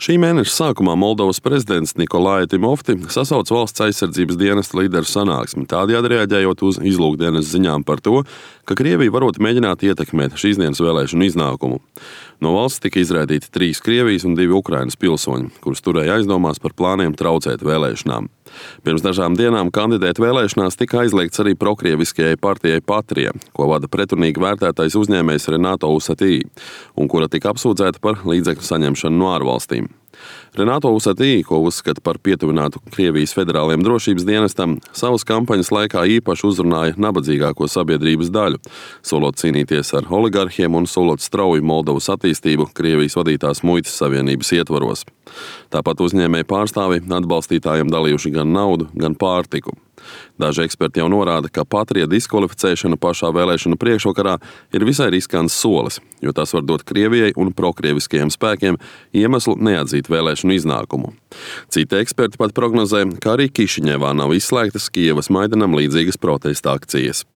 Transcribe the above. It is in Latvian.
Šī mēneša sākumā Moldovas prezidents Nikolai Timofti sasauca valsts aizsardzības dienesta līderu sanāksmi, tādējādi reaģējot uz izlūkdienas ziņām par to, ka Krievija varot mēģināt ietekmēt šīs dienas vēlēšanu iznākumu. No valsts tika izraidīti 3 Krievijas un 2 Ukrainas pilsoņi, kurus turēja aizdomās par plāniem traucēt vēlēšanām. Pirms dažām dienām kandidēt vēlēšanās tika aizliegts arī prokrieviskajai partijai Patrija, ko vada pretrunīgi vērtētais uzņēmējs Renato Usatī, un kura tika apsūdzēta par līdzekļu saņemšanu no ārvalstīm. Renato Usatī, ko uzskata par pietuvinātu Krievijas federāliem drošības dienestam, savas kampaņas laikā īpaši uzrunāja nabadzīgāko sabiedrības daļu, solot cīnīties ar oligarhiem un solot strauju Moldovas attīstību Krievijas vadītās muitas savienības ietvaros. Tāpat uzņēmēji pārstāvi atbalstītājiem dalījuši gan naudu, gan pārtiku. Daži eksperti jau norāda, ka Patrija diskvalificēšana pašā vēlēšanu priekšvakarā ir visai riskants solis, jo tas var dot Krievijai un prokrieviskajiem spēkiem iemeslu neatzīt vēlēšanu iznākumu. Citi eksperti pat prognozē, ka arī Kišiņevā nav izslēgtas Kijevas Maidanam līdzīgas protesta akcijas.